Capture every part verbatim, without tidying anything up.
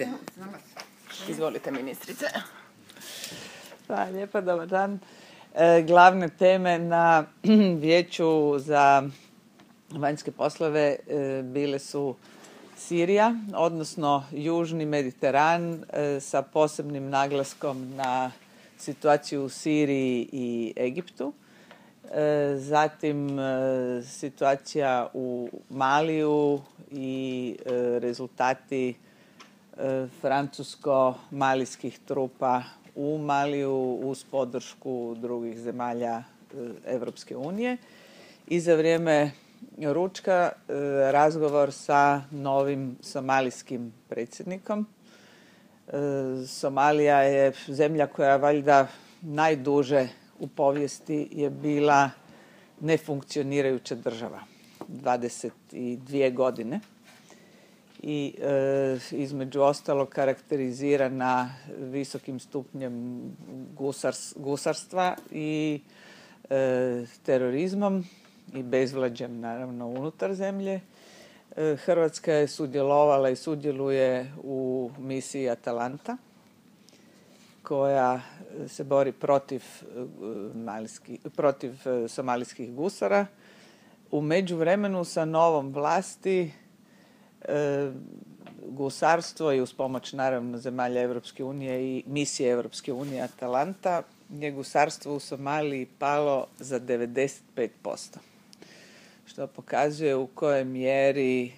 Ajde. Izvolite, ministrice. Hvala lijepa, dobar dan. E, glavne teme na Vijeću za vanjske poslove e, bile su Sirija, odnosno Južni Mediteran e, sa posebnim naglaskom na situaciju u Siriji i Egiptu. E, zatim e, situacija u Maliju i e, rezultati e, francusko-malijskih trupa u Maliju uz podršku drugih zemalja Europske unije. I za vrijeme ručka e, razgovor sa novim somalijskim predsjednikom. E, Somalija je zemlja koja valjda najduže u povijesti je bila nefunkcionirajuća država, dvadeset dvije godine. I e, između ostalog karakterizirana visokim stupnjem gusars, gusarstva i e, terorizmom i bezvlađem naravno unutar zemlje. E, Hrvatska je sudjelovala i sudjeluje u misiji Atalanta koja se bori protiv, malijski, protiv somalijskih gusara. U međuvremenu sa novom vlasti e, gusarstvo i uz pomoć naravno zemalja Europske unije i misije Europske unije Atalanta je gusarstvo u Somaliji palo za devedeset pet posto. Što pokazuje u kojoj mjeri e,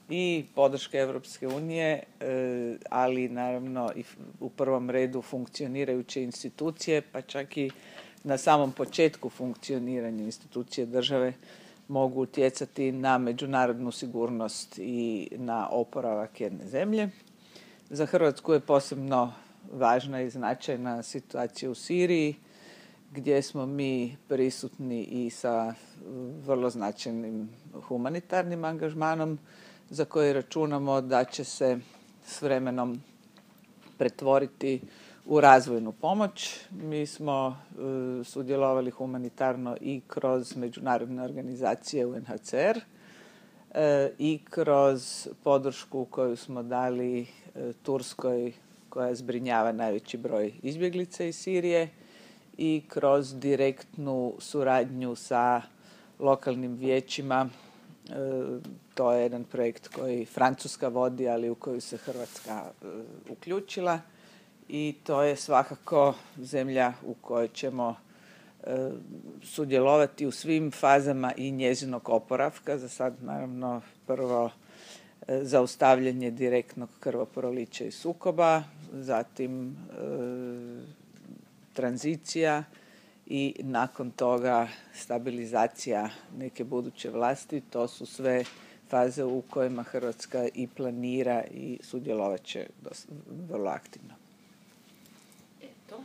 i podrška Europske unije, e, ali naravno i u prvom redu funkcionirajuće institucije, pa čak i na samom početku funkcioniranja institucije države mogu utjecati na međunarodnu sigurnost i na oporavak jedne zemlje. Za Hrvatsku je posebno važna i značajna situacija u Siriji, gdje smo mi prisutni i sa vrlo značajnim humanitarnim angažmanom za koji računamo da će se s vremenom pretvoriti u razvojnu pomoć. Mi smo e, sudjelovali humanitarno i kroz međunarodne organizacije U N H C R e, i kroz podršku koju smo dali e, Turskoj koja zbrinjava najveći broj izbjeglica iz Sirije i kroz direktnu suradnju sa lokalnim vijećima. E, to je jedan projekt koji Francuska vodi, ali u koju se Hrvatska e, uključila. I to je svakako zemlja u kojoj ćemo e, sudjelovati u svim fazama i njezinog oporavka. Za sad naravno prvo e, zaustavljanje direktnog krvoprolića i sukoba, zatim e, tranzicija i nakon toga stabilizacija neke buduće vlasti. To su sve faze u kojima Hrvatska i planira i sudjelovat će vrlo aktivno. Eto.